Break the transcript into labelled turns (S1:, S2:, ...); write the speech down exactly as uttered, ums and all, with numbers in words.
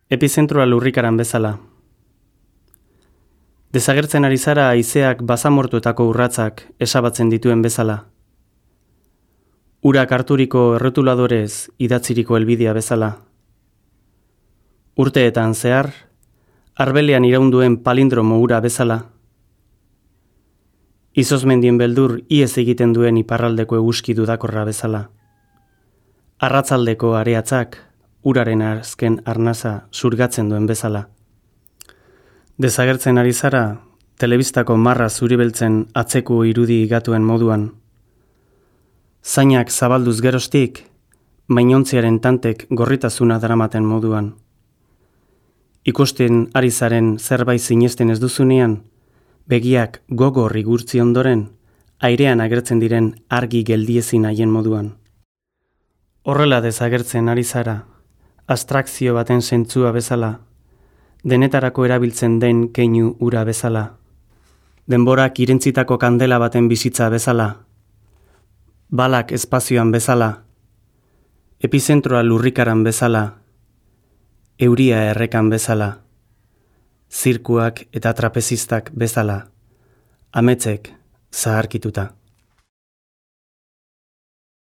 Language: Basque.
S1: Epizentroa lurrikaran bezala. Desagertzen ari zara haizeak basamortuetako urratzak esabatzen dituen bezala. Urak harturiko errotuladorez idatziriko helbidea bezala. Urteetan zehar, arbelean iraunduen palindromo ura bezala. Izozmendien beldur iez egiten duen iparraldeko eguzki dudakorra bezala. Arratzaldeko areatzak uraren azken arnasa zurgatzen duen bezala. Desagertzen ari zara, telebistako marra zuribeltzen atzeko irudi gatuen moduan. Zainak zabalduz gerostik, mainontziaren tantek gorritasuna daramaten moduan. Ikusten ari zaren zerbait sinesten ez duzunean, begiak gogor igurtzi ondoren, airean agertzen diren argi geldiezin haien moduan. Horrela desagertzen ari zara, abstrakzio baten zentzua bezala, denetarako erabiltzen den keinu ura bezala, denborak irentzitako kandela baten bizitza bezala, balak espazioan bezala, epizentroa lurrikaran bezala, euria errekan bezala, zirkuak eta trapezistak bezala, ametzek zaharkituta.